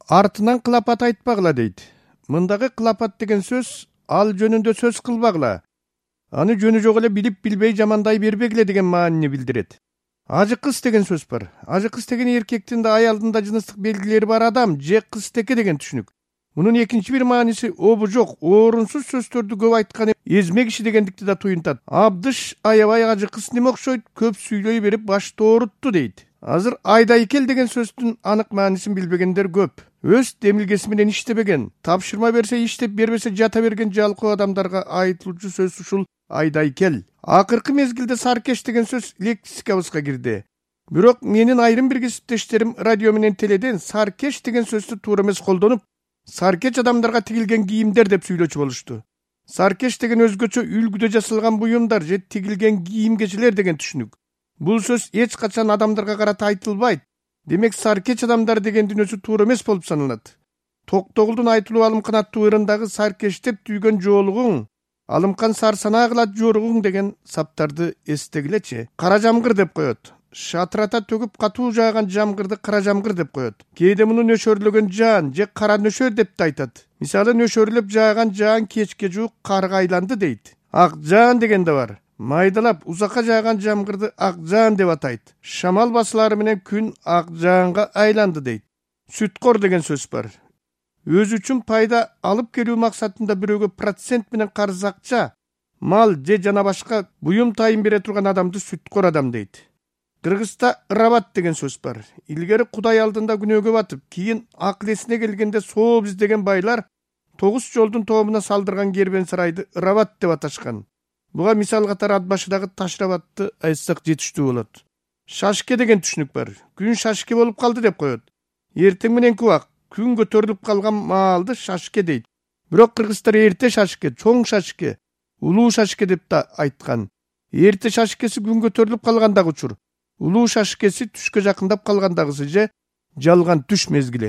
артынан кылапат айтпагыла дейт. Мындагы кылапат деген сөз ал жөнүндө сөз кылбагыла. Аны жөнү жок эле билип билбей жамандай бербегиле деген маанини билдирет. Ажы кыз деген сөз бар. Ажы кыз деген эркектин да аялдын да жыныстык белгилери бар адам же кызтеке деген түшүнүк. Мунун экинчи бир мааниси обу жок, орунсуз сөздөрдү көп айткан эзме киши дегендикти да туюнтат. Абдыш аябай ажы кыз неме окшойт, көп сүйлөй берип башты оорутту дейт. Азыр айдайкел деген сөздүн анык маанисин билбегендер көп. Өз демилгеси менен иштебеген, тапшырма берсе иштеп, бербесе жата берген жалкоо адамдарга айтылуучу сөз ушул айдайкел. Акыркы мезгилде саркеш деген сөз лексикабызга кирди. Бирок менин айрым бир кесиптештерим радио менен теледен саркеш деген сөздү туура эмес колдонуп, саркеч адамдарга тигилген кийимдер деп сүйлөчү болушту. Саркеш деген өзгөчө үлгүдө жасалган буюмдар же тигилген кийим-кечелер деген түшүнүк. Бул сөз эч качан адамдарга карата айтылбайт. Демек саркеч адамдар дегендин өзү туура эмес болуп саналат. Токтогулдун айтылуу Алымкан аттуу ырындагы саркештеп түйгөн жоолугуң, Алымкан сарсанаа кылат жоругуң деген саптарды эстегилечи. Кара жамгыр деп коет. Шатырата төгүп катуу жааган жамгырды кара жамгыр деп коет. Кээде муну нөшөрлөгөн жаан же кара нөшөр деп да айтат. Мисалы нөшөрлөп жааган жаан кечке жуук карга айланды дейт. Ак жаан деген да бар. Майдалап узакка жааган жамгырды ак жаан деп атайт. Шамал басылары менен күн ак жаанга айланды дейт. Сүткор деген сөз бар. Өзү үчүн пайда алып келүү максатында бирөөгө процент менен карыз акча, мал же жана башка буюм тайын бере турган адамды сүткор адам дейт. Кыргызда ырабат деген сөз бар. Илгери Кудай алдында күнөөгө батып, кийин акыл эсине келгенде сооп издеген байлар 9 жолдун тобуна салдырган кербен сарайды ырабат деп аташкан. Буга мисал катары ат башыдагы Ташрабатты айтсак жетиштүү болот. Шашке деген түшүнүк бар. Күн шашке болуп калды деп коет. Эртең мененки убак күн көтөрүлүп калган маалды шашке дейт. Бирок кыргыздар эрте шашке, чоң шашке, улуу шашке деп да айткан. Эрте шашкеси күн көтөрүлүп калгандагы учур. Улуу шашкеси түшкө жакындап калгандагысы же жалган түш мезгили.